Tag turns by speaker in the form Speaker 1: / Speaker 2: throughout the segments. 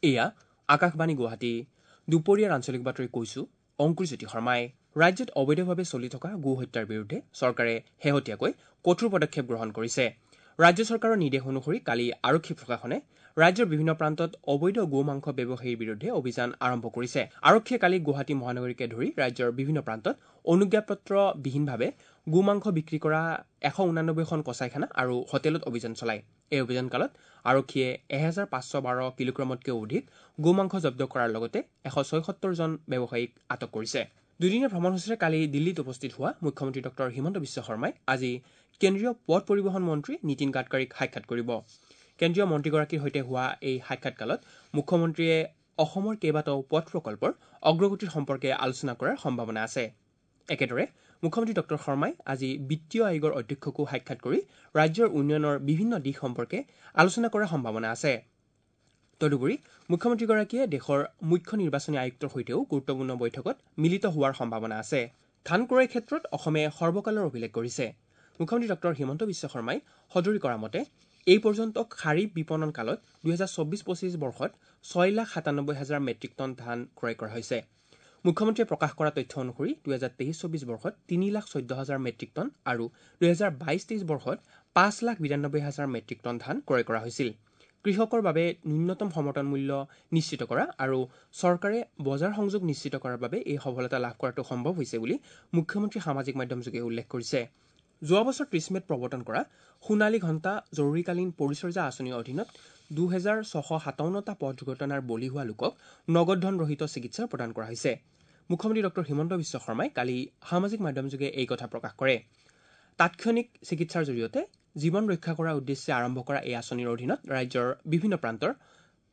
Speaker 1: এয়া আকাশবাণী গুৱাহাটী। দুপৰীয়াৰ আঞ্চলিক বাতৰি কৈছো অংকুৰজ্যোতি শৰ্মাই। ৰাজ্যত অবৈধভাৱে চলি থকা গো হত্যাৰ বিৰুদ্ধে চৰকাৰে শেহতীয়াকৈ কঠোৰ পদক্ষেপ গ্ৰহণ কৰিছে। ৰাজ্য চৰকাৰৰ নিৰ্দেশ অনুসৰি কালি আৰক্ষী প্ৰশাসনে ৰাজ্যৰ বিভিন্ন প্ৰান্তত অবৈধ গো মাংস ব্যৱসায়ীৰ বিৰুদ্ধে অভিযান আৰম্ভ কৰিছে। আৰক্ষীয়ে কালি গুৱাহাটী মহানগৰীকে ধৰি ৰাজ্যৰ বিভিন্ন প্ৰান্তত অনুজ্ঞাপত্ৰবিহীনভাৱে গো মাংস বিক্ৰী কৰা 189খন কচাইখানা আৰু হোটেলত অভিযান চলায়। এই অভিযানকালত আৰক্ষীয়ে 1512 কিলোগ্ৰামতকৈও অধিক গো মাংস জব্দ কৰাৰ লগতে 176 জন ব্যৱসায়ীক আটক কৰিছে। দুদিনীয়া ভ্ৰমণসূচীৰে কালি দিল্লীত উপস্থিত হোৱা মুখ্যমন্ত্ৰী ডঃ হিমন্ত বিশ্ব শৰ্মাই আজি কেন্দ্ৰীয় পথ পৰিবহণ মন্ত্ৰী নীতিন গাডকাৰীক সাক্ষাৎ কৰিব। কেন্দ্ৰীয় মন্ত্ৰীগৰাকীৰ সৈতে হোৱা এই সাক্ষাৎকালত মুখ্যমন্ত্ৰীয়ে অসমৰ কেইবাটাও পথ প্ৰকল্পৰ অগ্ৰগতিৰ সম্পৰ্কে আলোচনা কৰাৰ সম্ভাৱনা আছে। একেদৰে মুখ্যমন্ত্ৰী ডঃ শৰ্মাই আজি বিত্তীয় আয়োগৰ অধ্যক্ষকো সাক্ষাৎ কৰি ৰাজ্যৰ উন্নয়নৰ বিভিন্ন দিশ সম্পৰ্কে আলোচনা কৰাৰ সম্ভাৱনা আছে। তদুপৰি মুখ্যমন্ত্ৰীগৰাকীয়ে দেশৰ মুখ্য নিৰ্বাচনী আয়ুক্তৰ সৈতেও গুৰুত্বপূৰ্ণ বৈঠকত মিলিত হোৱাৰ সম্ভাৱনা আছে। ধান ক্ৰয়ৰ ক্ষেত্ৰত অসমে সৰ্বকালৰ অভিলেখ কৰিছে। মুখ্যমন্ত্ৰী ডঃ হিমন্ত বিশ্ব শৰ্মাই সদৰি কৰা মতে এই পৰ্যন্ত খাৰিফ বিপণন কালত 2024-25 বৰ্ষত 6,97,000 মেট্ৰিক টন ধান ক্ৰয় কৰা হৈছে। মুখ্যমন্ত্ৰীয়ে প্ৰকাশ কৰা তথ্য অনুসৰি 2023-24 বৰ্ষত 3,14,000 মেট্ৰিক টন আৰু 2022-23 বৰ্ষত 5,92,000 মেট্ৰিক টন ধান ক্ৰয় কৰা হৈছিল। কৃষকৰ বাবে ন্যূনতম সমৰ্থন মূল্য নিশ্চিত কৰা আৰু চৰকাৰে বজাৰ সংযোগ নিশ্চিত কৰাৰ বাবে এই সফলতা লাভ কৰাটো সম্ভৱ হৈছে বুলি মুখ্যমন্ত্ৰী সামাজিক মাধ্যমযোগে উল্লেখ কৰিছে। যোৱা বছৰ 30 মে'ত প্ৰৱৰ্তন কৰা সোণালী ঘণ্টা জৰুৰীকালীন পৰিচৰ্যা আঁচনিৰ অধীনত 2657টা পথ দুৰ্ঘটনাৰ বলি হোৱা লোকক নগদ ধন ৰহিত চিকিৎসা প্ৰদান কৰা হৈছে। মুখ্যমন্ত্ৰী ডঃ হিমন্ত বিশ্ব শৰ্মাই কালি সামাজিক মাধ্যমযোগে এই কথা প্ৰকাশ কৰে। তাৎক্ষণিক চিকিৎসাৰ জৰিয়তে জীৱন ৰক্ষা কৰাৰ উদ্দেশ্যে আৰম্ভ কৰা এই আঁচনিৰ অধীনত ৰাজ্যৰ বিভিন্ন প্ৰান্তৰ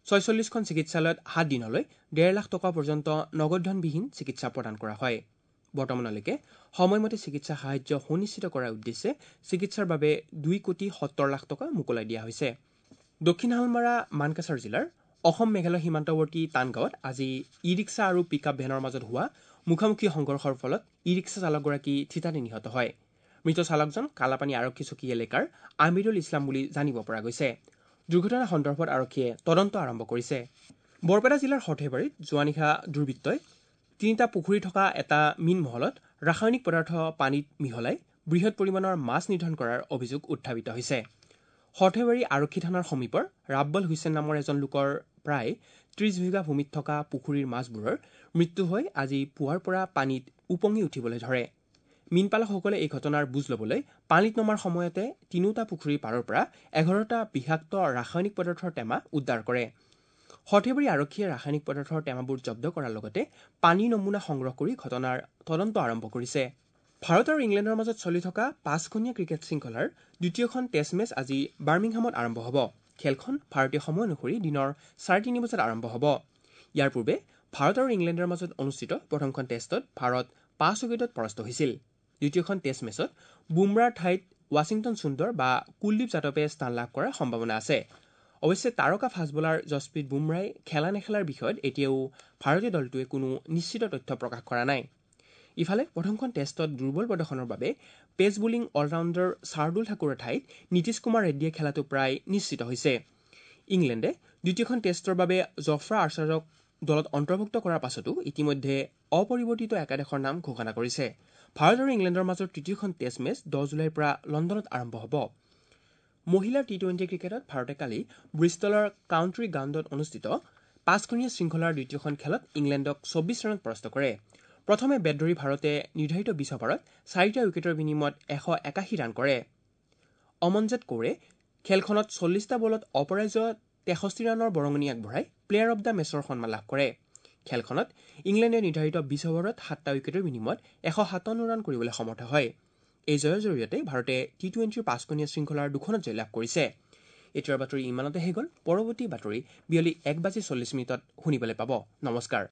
Speaker 1: 46খন চিকিৎসালয়ত 7 দিনলৈ 1.5 লাখ টকা পৰ্যন্ত নগদ ধনবিহীন চিকিৎসা প্ৰদান কৰা হয়। বৰ্তমানলৈকে সময়মতে চিকিৎসা সাহায্য সুনিশ্চিত কৰাৰ উদ্দেশ্যে চিকিৎসাৰ বাবে 2,70,00,000 টকা মোকলাই দিয়া হৈছে। দক্ষিণ শালমাৰা মানকাছাৰ জিলাৰ অসম মেঘালয় সীমান্তৱৰ্তী টানগাঁৱত আজি ই ৰিক্সা আৰু পিক আপ ভেনৰ মাজত হোৱা মুখামুখি সংঘৰ্ষৰ ফলত ই ৰিক্সা চালকগৰাকী থিতাতে নিহত হয়। মৃত চালকজন কালাপানী আৰক্ষী চকী এলেকাৰ আমিৰুল ইছলাম বুলি জানিব পৰা গৈছে। দুৰ্ঘটনা সন্দৰ্ভত আৰক্ষীয়ে তদন্ত আৰম্ভ কৰিছে। বৰপেটা জিলাৰ সৰ্থেবাৰীত যোৱা নিশা দুৰ্বৃত্তই 3টা পুখুৰী থকা এটা মীন মহলত ৰাসায়নিক পদাৰ্থ পানীত মিহলাই বৃহৎ পৰিমাণৰ মাছ নিধন কৰাৰ অভিযোগ উত্থাপিত হৈছে। সৰ্থেবাৰী আৰক্ষী থানাৰ সমীপৰ ৰাব্বল হুছেইন নামৰ এজন লোকৰ প্ৰায় 30 বিঘা ভূমিত থকা পুখুৰীৰ মাছবোৰৰ মৃত্যু হৈ আজি পুৱাৰ পৰা পানীত উপঙি উঠিবলৈ ধৰে। মীনপালকসকলে এই ঘটনাৰ বুজ ল'বলৈ পানীত নমাৰ সময়তে 3টা পুখুৰীৰ পাৰৰ পৰা 11টা বিষাক্ত ৰাসায়নিক পদাৰ্থৰ টেমা উদ্ধাৰ কৰে। সৰ্থেবাৰী আৰক্ষীয়ে ৰাসায়নিক পদাৰ্থৰ টেমাবোৰ জব্দ কৰাৰ লগতে পানীৰ নমুনা সংগ্ৰহ কৰি ঘটনাৰ তদন্ত আৰম্ভ কৰিছে। ভাৰত আৰু ইংলেণ্ডৰ মাজত চলি থকা 5খনীয়া ক্ৰিকেট শৃংখলাৰ দ্বিতীয়খন টেষ্ট মেচ আজি বাৰ্মিংহামত আৰম্ভ হ'ব। খেলখন ভাৰতীয় সময় অনুসৰি দিনৰ 3:30 বজাত আৰম্ভ হ'ব। ইয়াৰ পূৰ্বে ভাৰত আৰু ইংলেণ্ডৰ মাজত অনুষ্ঠিত প্ৰথমখন টেষ্টত ভাৰত 5 উইকেটত পৰাস্ত হৈছিল। দ্বিতীয়খন টেষ্ট মেচত বুমৰাৰ ঠাইত ৱাশ্বিংটন সুন্দৰ বা কুলদীপ যাদৱে স্থান লাভ কৰাৰ সম্ভাৱনা আছে। অৱশ্যে তাৰকা ফাষ্ট বলাৰ জছপ্ৰীত বুমৰাই খেলা নেখেলাৰ বিষয়ত এতিয়াও ভাৰতীয় দলটোৱে কোনো নিশ্চিত তথ্য প্ৰকাশ কৰা নাই। ইফালে প্ৰথমখন টেষ্টত দুৰ্বল প্ৰদৰ্শনৰ বাবে পেচ বলিং অলৰাউণ্ডাৰ শাৰ্দুল ঠাকুৰৰ ঠাইত নীতিশ কুমাৰ ৰেড্ডীয়ে খেলাটো প্ৰায় নিশ্চিত হৈছে। ইংলেণ্ডে দ্বিতীয়খন টেষ্টৰ বাবে জফ্ৰা আৰ্চাৰক দলত অন্তৰ্ভুক্ত কৰাৰ পাছতো ইতিমধ্যে অপৰিৱৰ্তিত একাদশৰ নাম ঘোষণা কৰিছে। ভাৰত আৰু ইংলেণ্ডৰ মাজৰ তৃতীয়খন টেষ্ট মেচ 10 জুলাইৰ পৰা লণ্ডনত আৰম্ভ হ'ব। মহিলাৰ টি-20 ক্ৰিকেটত ভাৰতে কালি ব্ৰিষ্টলৰ কাউণ্ট্ৰি গ্ৰাউণ্ডত অনুষ্ঠিত 5খনীয়া শৃংখলাৰ দ্বিতীয়খন খেলত ইংলেণ্ডক 24 ৰানত পৰাস্ত কৰে। প্ৰথমে বেট ধৰি ভাৰতে নিৰ্ধাৰিত 20 অভাৰত 4টা উইকেটৰ বিনিময়ত 181 ৰান কৰে। অমনজোত কৌৰে খেলখনত 40টা বলত অপৰাজেয় 63 ৰানৰ বৰঙণি আগবঢ়াই প্লেয়াৰ অব the মেচৰ সন্মান লাভ কৰে। খেলখনত ইংলেণ্ডে নিৰ্ধাৰিত 20 অভাৰত 7টা উইকেটৰ বিনিময়ত 157 ৰান কৰিবলৈ সমৰ্থ হয়। এই জয়ৰ জৰিয়তে ভাৰতে টি-20ৰ 5খনীয়া শৃংখলাৰ 2খনত জয়লাভ কৰিছে। এতিয়াৰ বাতৰি ইমানতে শেষ হ'ল। পৰৱৰ্তী বাতৰি বিয়লি 1:40 শুনিবলৈ পাব। নমস্কাৰ।